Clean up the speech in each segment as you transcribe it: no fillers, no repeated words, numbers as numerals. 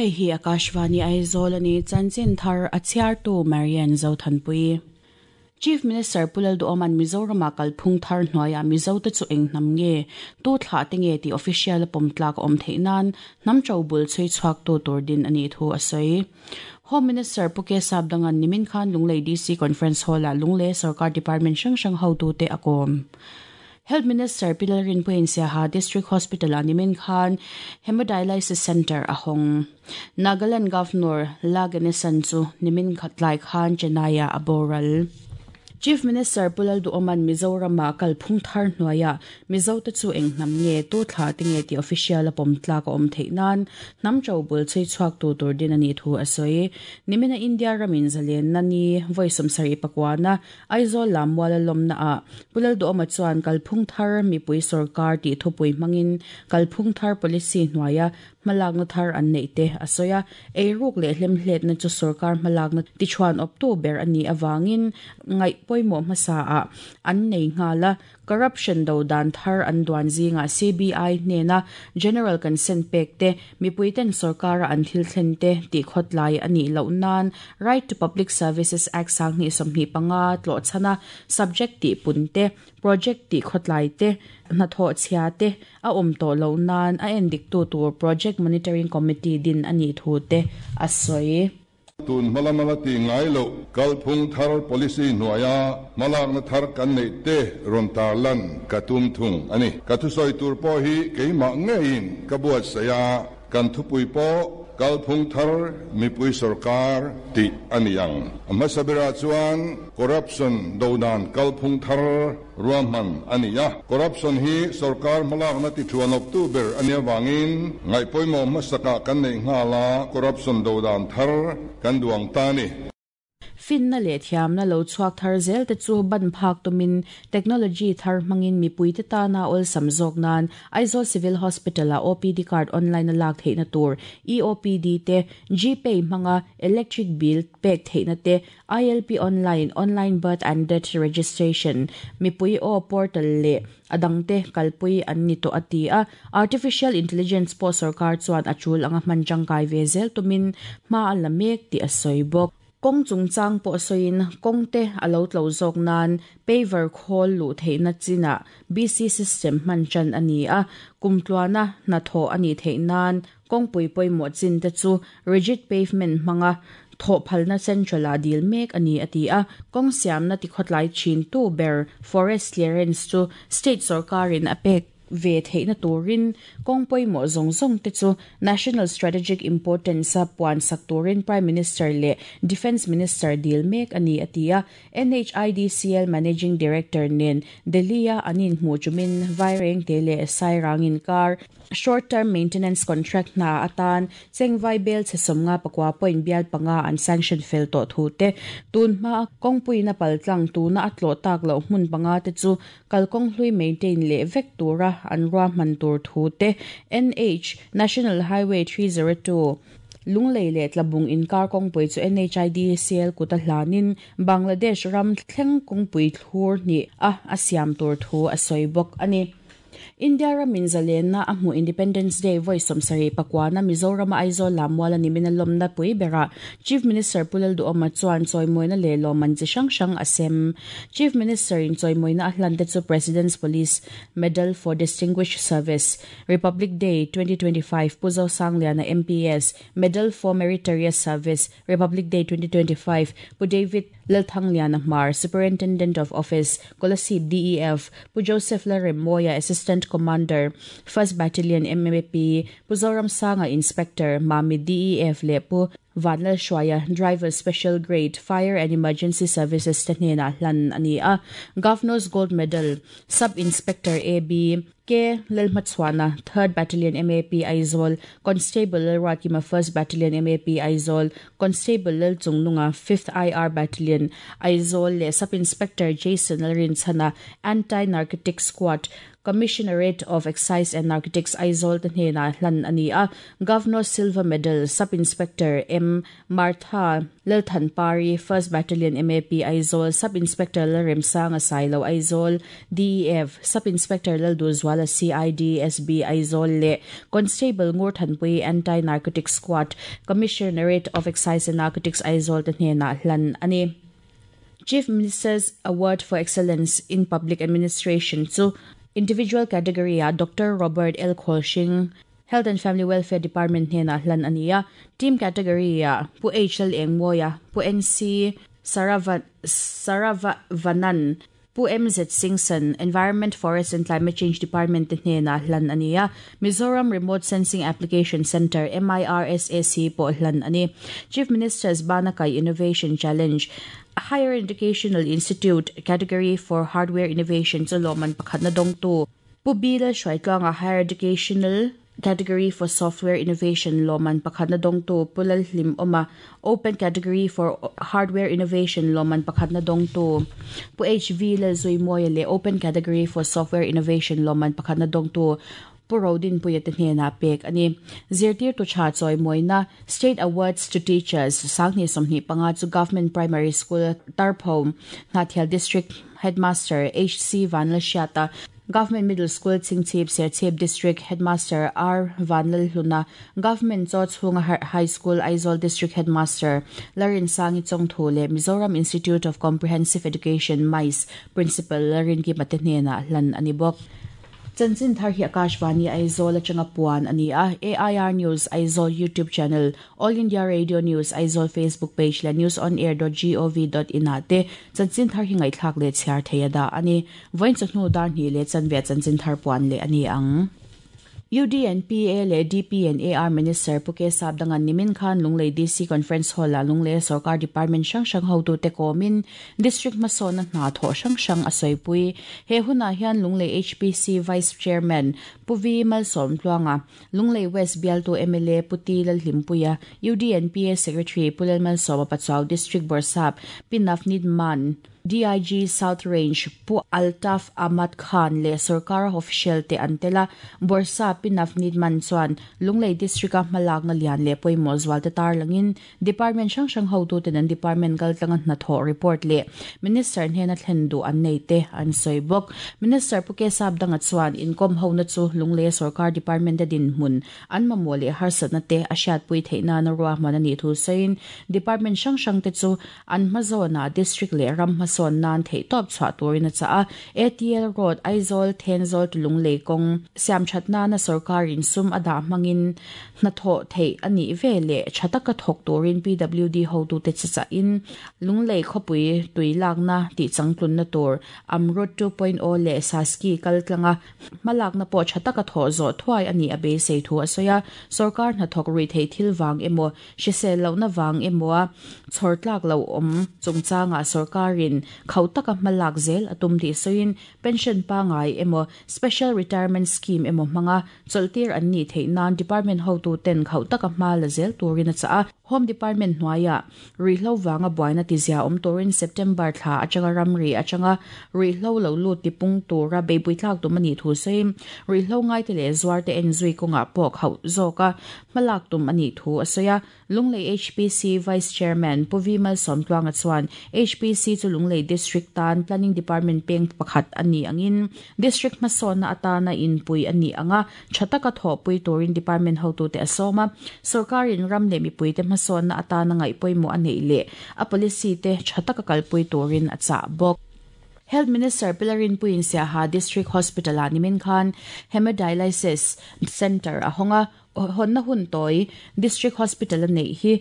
Hei hi Akashvani Aizawl a ni, chanchin thar a chhiartu Marian Zothanpui. Chief Minister Pu Lalduhawma'n Mizorama kalphung thar hnuaiah Mizote chu eng hnam nge, tu thlah te nge tih official a pawm tlak a awm theih nan hnam to bul chhui chhuaktu tur din a nih thu a sawi. Home Minister Pu K Sapdanga'n nimin khan Lunglei DC Conference Hall-ah Lunglei sorkar department hrang hrang hotute a kawm. Health Minister Pi Lalrinpuiin Siaha District Hospital-ah nimin khan Hemodialysis Centre a hawng. Nagaland Governor La Ganesan chu nimin tlai khan Chennai-ah a boral. Chief Minister Pu Lalduhawma'n Mizoram-ah kalphung thar hnuaiah Mizote chu eng hnam nge, tu thlah te nge tih official a pawm tlak a awm theih nan hnam to bul chhui chhuaktu tur din a nih thu a sawi. Nimina India ramin zalenna ni vawi 74na Aizawl lam muala lawmna ah Pu Lalduhawma chuan kalphung thar mipui sorkar tih thupui hmangin kalphung thar policy hnuaia hmalakna thar an neih te a sawi a, eiruk leh hlemhletna chu sorkar hmalakna tichhuan awptu ber a nih avangin ngaih pawimawh hmasa ah an nei nghal a. Corruption do dan thar an duan zingah CBI hnena General Consent pek te, mipuiten sorkara an thil thlen te tih khawtlai a nih loh nan Right to Public Services Act 2025 tlawh chhana subject tih pun te, project tih khawtlai te, hnathawh chhia te a awm tawh loh nan a endiktu tur Project Monitoring Committee din a nih thu te a sawi. Tun hmalama la tih ngai loh kalphung thar policy hnuaia hmalakna thar kan neih te rawn tarlan ka tum thung a ni. Ka thusawi tur pawh hi keimah ngeiin ka buatsaih a, kan thupui pawh kalphung thar mipui sorkar tih a ni ang. A hmasa berah chuan corruption dodan kalphung thar ruahman a ni a. Corruption hi sorkar hmalakna tithuanawptu ber a nih avangin ngaihpawimawh hmasakah kan neih nghal a, corruption dodan thar kan duang ta a ni. Finna leh thiamna lo chhuak thar zel te chu ban phak tumin technology thar hmangin mipuite tana awlsam zawk nan Aizawl Civil Hospital-ah OPD card online a lak theihna tur EOPD te, GPay hmanga electric bill pek theihna te, ILP Online, Online Birth and Death Registration, mipui aw portal leh a dangte kalpui an ni tawh a ti a. Artificial Intelligence pawh sorkar chuan a tul anga hman tangkai ve zel tumin hma a la mek tih a sawi bawk. Kawng chungchang pawh sawiin kawngte a lo tlo zawk nan paver khawl luh theihna chinah BC system hman tan a ni a, kumtluana hnathawh a nih theih nan Kawngpui pawimawh chin te chu rigid pavement hmanga thawh phalna central ah dil mek a ni a ti a, kawng siamna tikhawtlai thin tu ber forest clearance chu state sorkarin a pek ve theihna turin kawng pawimawh zawng zawng te chu national strategic importance a puan sak turin Prime Minister leh Defence Minister dil mek a ni a ti a, NHIDCL Managing Director nen Delhi-a an inhmuh chumin Vairengte leh Sairang inkar Short Term Maintenance Contract hna atan Chengvai bel chhe 54 point bial panga an sanction fel tawh thu te, tun hmaa kawngpuiin a paltlang tuna a tlawh tak loh hmun panga te chu kalkawng hlui maintain leh vek tura an ruahman tur thu te, NH, National Highway 302, Lunglei leh Tlabung inkar kawngpui chu NHIDCL kut a hlanin Bangladesh ram thleng kawngpui thlur hnih a a siam tur thu a sawi bawk a ni. India ramin zalenna a hmuh Independence Day vawi 79 na Mizorama Aizawl lam muala nimin a lawmna pui berah Chief Minister Pu Lalduhawma chuan chawimawina leh lawmman chi hrang hrang a sem. Chief Minister in chawimawina a hlan te chu President's Police Medal for Distinguished Service, Republic Day 2025 Pu Zosangliana MPS, Medal for Meritorious Service, Republic Day 2025 Pu David Lalthangliana Hmar, Superintendent of Office, Kolasib DEF, Pu Joseph Lalremawia, Assistant Commander, 1st Battalion MMAP, Pu Zoramsanga Inspector, Mamit DEF leh Pu Vanlalhruaia, Driver Special Grade, Fire and Emergency Services te hnenah hlan a ni a. Governor's Gold Medal, Sub Inspector AB K Lalhmachhuana, 3rd Battalion MAP Aizawl, Constable Lalruatkima, 1st Battalion MAP Aizawl, Constable Lalchungnunga, 5th IR Battalion, Aizawl leh Sub Inspector Jason Lalrinchhana, Anti-Narcotic Squad, Commissionerate of Excise and Narcotics Aizawl te hnenah hlan a ni a. Governor Silver Medal, Sub Inspector M. Martha Lalthanpari, First Battalion MAP Aizawl, Sub Inspector Lalremsanga Sailo Aizawl, DEF, Sub Inspector Lalduhzuala CID SB Aizawl leh Constable Ngurthanpui Anti-Narcotics Squad, Commissionerate of Excise and Narcotics Aizawl te hnenah hlan a ni. Chief Minister's Award for Excellence in Public Administration chu Individual category-ah Doctor Robert L Khawlhring, Health and Family Welfare Department hnenah hlan a ni a, Team category-ah Pu H Lalengmawia, Pu NC Saravanan, Pu MZ Singson, Environment, Forest and Climate Change Department te hnenah hlan a ni a, Mizoram Remote Sensing Application Centre, MIRSAC, pawh hlan a ni. Chief Minister's Banakai Innovation Challenge, Higher Educational Institute Category for Hardware Innovation chu lawmman pakhatna dawngtu Pu B Lalhruaitluanga Higher Educational Category for Software Innovation lawmman pakhatna dawngtu Pu Lalhlim Awma Open Category for Hardware Innovation lawmman pakhatna dawngtu Pu HV Lalzuimawia leh Open Category for Software Innovation lawmman pakhatna dawngtu Pu Rodinpuia te hnenah pek a ni. Zirtirtu tha chawimawina, State Awards to Teachers, 2025 chu Government Primary School, Tarpho, Hnahthial District Headmaster HC Vanlalhriata, Government Middle School, Chingchhip, Serchhip District Headmaster R Vanlalhluna, Government Chawchhunga High School, Aizawl District Headmaster Larinsangi Chawngthu leh Mizoram Institute of Comprehensive Education, MICE, Principal Larinkima te hnenah hlan a ni bawk. Chanchin thar hi Akashvani Aizawl atanga puan a ni a, AIR News Aizawl YouTube channel, All India Radio News Aizawl Facebook page leh newsonair.gov.in ah te chanchin thar hi ngaihthlak leh chhiar thei a dah a ni. Vawiin chawhnu dar hnih leh chanve chanchin thar puan leh a ni ang. UDNPA leh DPNAR Minister Pu K Sapdangan nimin khan Lunglei DC Conference Hall-ah Lungleia sorkar department hrang hrang hotute kawmin District hmasawnna hna thawh hrang hrang a sawipui. He hunah hian Lunglei HPC Vice Chairman Pu Vi Malsawmtluanga, Lunglei West bialtu mla Pu Ti Lalhlimpuia, UDNPA Secretary Pu Lalmalsawma Pachuau District Bawrhsap Pi Navneet Mann, DIG South Range Pu Altaf Ahmad Khan leh sorkara official te an tel a. Bawrhsap Pi Navneet Mann chuan Lunglei District-a hmalakna lian leh pawimawh zualte tarlangin Department hrang hrang hotuten an department kaltlanga hnathawh report leh Minister hnena thlen duh an nei te an sawi bawk. Minister Pu Kesap Danga chuan inkawm hona chu Lungleia sorkar department te dinhmun an mamawh leh harsatna te a hriatpui theih nana ruahman a nih thu sawiin department hrang hrang te chu an hmazawnah district leh ram hmasawn nan theihtawp chhuah turin a chah a. ATL Road, Aizawl, Thenzawl to Lunglei kawng siamthat nana sorkarin sum a dah hmangin Hnathawh theih a nih ve leh tha taka thawk turin PWD hotute che chahin Lunglei khawpui tui lakna tih changtlunna tur Amrut 2.0 leh Saski kal tlanga hmalakna pawh tha taka thawh zawh thuai a nih a beisei thu a sawi a. Sorkar hnathawk rui theih thil vang emaw, hrisel lohna vang emawa chhawr tlak lo awm chungchangah sorkarin khauh taka hmalak zel a tum tih sawiin Pension pangngai emaw, Special Retirement Scheme emaw hmanga chawlhtir an nih theih nan Department hotuten khauh taka hma la zel turin a chah a. Home Department hnuaiah ruihhlo vanga buaina tizia awm turin September thla atanga ramri atanga ruihhlo lo lut tipung tura beihpui tlak tum a nih thu sawiin ruihhlo ngaite leh zuarte enzui kawngah pawh khauh zawka hmalak tum a nih thu a sawi a. Lunglei HPC Vice Chairman Pu Vi Malsawmtluanga chuan HPC chu Lunglei District tan Planning Department peng pakhat a nih angin District hmasawnna atana inpui a nih anga tha taka thawhpui turin Department hotute a sawm a. Sorkarin ram leh mipuite hmasawnna atana ngaih pawimawh a neih leh a policy te tha taka kalpui turin a chah bawk. Health Minister Pilarin Puin Siaha District Hospital-ah nimin khan Hemodialysis Centre a hawng a. Hawnna hun tawi District Hospital a neih hi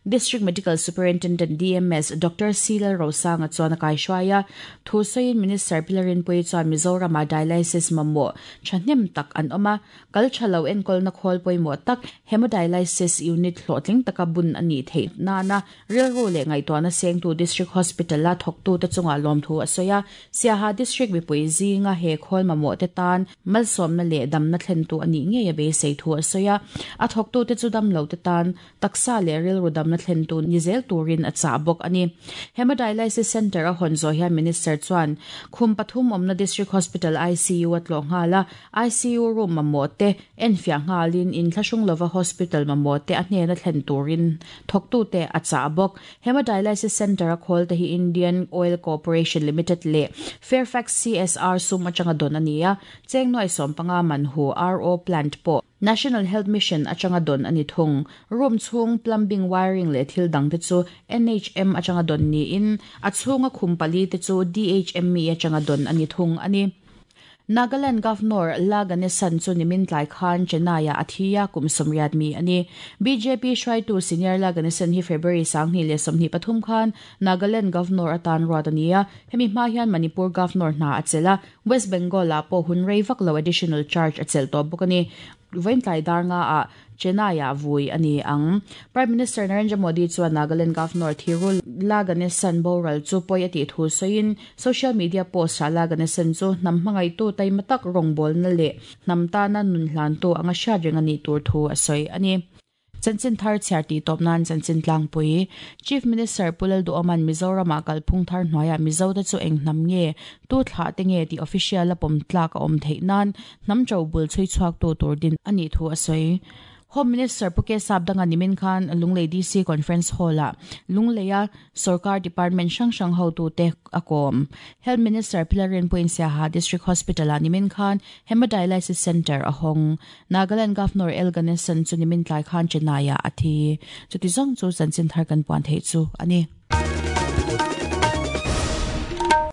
District Medical Superintendent, DMS, Doctor C Lalrosanga chuan a kaihruai a. Thu sawiin Minister Pilarinpuii chuan Mizoramah dialysis mamawh thahnem tak an awm a, kal tha lo enkawlna khawl pawimawh tak Hemodialysis Unit hlawhtling taka bun a nih theih nana Rilru leh ngaihtuahna sengtu District Hospital-a thawktute chungah lawmthu a sawi a, Siaha District mipui zinga he khawl mamawhte tan malsawmna leh damna thlentu a nih ngei a beisei thu a sawi a. A thawktute chu damlote tan taksa leh rilru damna lawmna thlentu ni zel turin a chah bawk a ni. Hemodialysis Centre a hawn zawh hian Minister chuan khum pathum awmna District Hospital ICU a tlawh nghal a, ICU room mamawh te enfiah nghalin inthlahrung lova hospital mamawh te a hnena thlen turin thawktute a chah bawk. Hemodialysis Centre a khawl te hi Indian Oil Corporation Limited leh Fairfax CSR sum atanga dawn a ni a, cheng nuai sawmpanga man hu RO plant pawh National Health Mission atanga dawn a ni thung. Room chhung plumbing, wiring leh thil dang te chu NHM atanga dawn niin a chhunga khum pali te chu DHME atanga dawn a ni thung a ni. Nagaland Governor La Ganesan chu nimin tlai khan Chennai-ah a thi a, kum 80 mi a ni. Bjp hruaitu Senior La Ganesan hi February 2023 khan Nagaland Governor atan ruat a ni a, hemi hma hian Manipur Governor hna a chelh a, West Bengal-ah pawh hun rei vak lo additional charge a chelh tawh bawk a ni. Vawiin tlai dar nga ah Chennai-ah vui a ni ang. Prime Minister Narendra Modi chuan Nagaland Governor Thiru La Ganesan boral chu pawi a tih thu sawiin social media post-ah La Ganesan chu hnam hmangaihtu taima tak rawngbawlna leh hnam tana nun hlantu anga hriat reng a nih tur thu a sawi a ni. Chanchin thar chhiar tih tawp nan chanchin tlangpui Chief Minister Pu Lalduhawma'n Mizoramah kalphung thar hnuaiah Mizote chu eng hnam nge, tu thlah te nge tih official a pawm tlak a awm theih nan Hnam ṭo bul chhui chhuaktu tur din a nih thu a sawi. Home Minister Pu Kesap danga nimin khan Lunglei DC Conference Hall-ah Lungleia sorkar department hrang hrang hotute a kawm. Health Minister Pilarin Puinsiaha District Hospital-ah nimin khan Hemodialysis Centre a hawng. Nagaland Governor L Ganesan chu nimin tlai khan Chennai-ah a thi. Chuti zawng chu chanchin thar kan puan theih chu a ni.